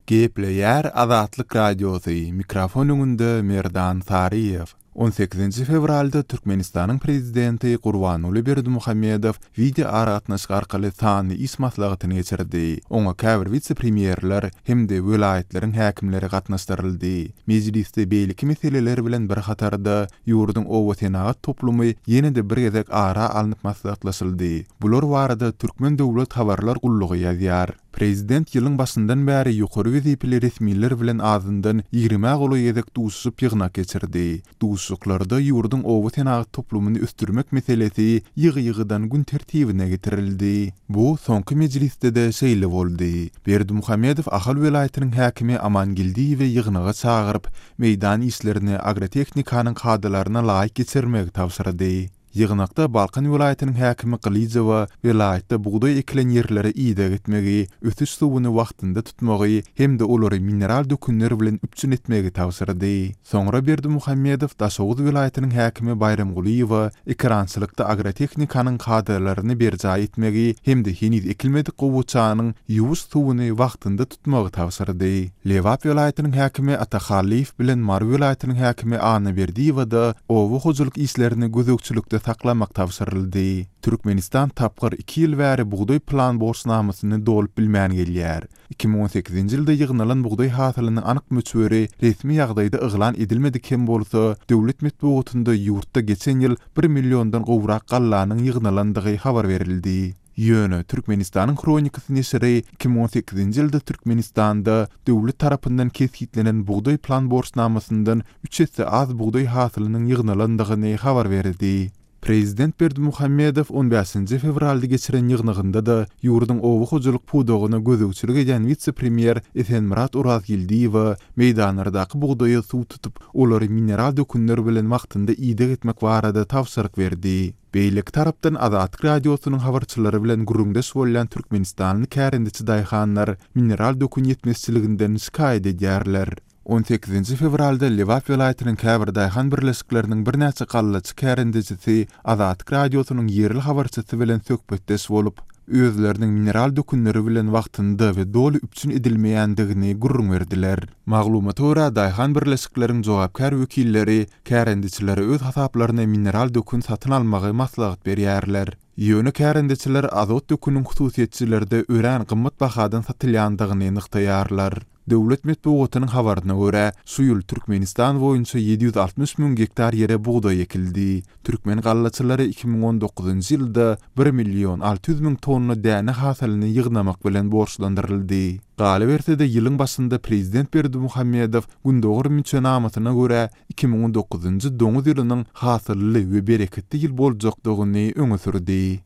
Gepleýär Azatlyk Radiosy, mikrofon öňünde Merdan Saryýew. On sekizinji fewralda Türkmenistanyň Prezidenti Gurbanguly Berdimuhamedow wideoaragatnaşyk arkaly sanly iş maslahatyny geçirdi. Oňa käbir wise-premýerler hem-de welaýatlaryň häkimleri gatnaşdyryldy. Mejlisde beýleki meseleler bilen bir hatarda, ýurduň obasenagat toplumy ýene-de bir gezek ara alnyp maslahatlaşyldy. Bular barada Türkmen döwlet habarlar gullugy ýazýar. Prezident ýylyň başyndan bäri ýokary wezipeli resmiler bilen azyndan ýigrimä golaý gezek duşuşyp ýygnak geçirdi. Duşuşyklarda ýurduň oba senagat toplumyny ösdürmek meselesi ýygy-ýygydan gün tertibine getirildi. Bu soňky mejlisde-de şeýle boldy. Berdimuhamedow Ahal welaýatynyň häkimi Aman Geldiýewi ýygnaga çagyryp, meýdan işlerini agrotehnikanyň kadalaryna laýyk geçirmegi tabşyrdy. Ýygnakda Balkan welaýatynyň häkimi Gylyjowa welaýatda bugdaý ekilen ýerlere ideg etmegi, ösüş suwuny wagtynda tutmagy hem-de olary mineral dökünler bilen üpjün etmegi tabşyrdy. Soňra Berdimuhamedow Daşoguz welaýatynyň häkimi Baýramgulyýewa ekerançylykda agrotehnikanyň kadalaryny berjaý etmegi hem-de heniz ekilmedik gowaçanyň ýuwuş suwuny wagtynda tutmagy tabşyrdy. Lebap welaýatynyň häkimi Ata Hallyýew bilen Mary welaýatynyň häkimi Anna Berdiýewa-da oba hojalyk işlerini gözegçilikde saklamak tabşyryldy. Türkmenistan tapgyr iki ýyl bäri bugdaý plan borçnamasyny dolup bilmän gelýär. 2018-nji ýylda ýygnalan bugdaý hasylynyň anyk möçberi resmi ýagdaýda yglan edilmedik hem bolsa, döwlet metbugatynda ýurtda geçen ýyl bir milliondan gowrak gallanyň ýygnalandygy habar berildi. Ýöne, Türkmenistanyň Hronikasy neşiri 2018-nji ýylda Türkmenistanda döwlet tarapyndan kesgitlenen bugdaý plan borçnamasyndan üç esse az bugdaý hasylynyň ýygnalandygyny habar berdi. Prezident Berdimuhamedow on bäşinji fewralda geçiren ýygnagynda-da ýurduň oba hojalyk pudagyna gözegçilik edýän wise-premýer Esenmyrat Orazgeldiýewe meýdanlardaky bugdaýa suw tutup, olary mineral dökünler bilen wagtynda ideg etmek barada tabşyryk berdi. Beýleki tarapdan Azatlyk Radiosynyň habarçylary bilen gürrüňdeş bolýan türkmenistanly kärendeçi daýhanlar mineral dökün ýetmezçiliginden şikaýat edýärler. On sekizinji fewralda Lebap welaýatynyň käbir daýhan birleşikleriniň birnäçe gallaçy kärendecisi Azatlyk Radiosynyň ýerli habarçysy bilen söhbetdeş bolup, özleriniň mineral dökünleri bilen wagtynda we doly üpjün edilmeýändigini gürrüň berdiler. Maglumata görä, daýhan birleşikleriň jogapkär wekilleri kärendeçilere öz hasaplaryna mineral dökün satyn almagy maslahat berýärler. Ýöne kärendeçiler azot döküniň hususyýetçilerde örän gymmat bahadan satylýandygyny nygtaýarlar. Döwlet metbugatynyň habaryna görä, şu ýyl Türkmenistan boýunça 760 müň gektar ýere bugdaý ekildi. Türkmen gallaçylary 2019-njy ýylda bir million 600 müň tonna däne hasylyny ýygnamak bilen borçlandyryldy. Galyberse-de, ýylyň başynda prezident Berdimuhamedow Gündogar müçenamasyna görä, 2019-njy doňuz ýylynyň hasylly we bereketli ýyl boljakdygyny öňe sürdi.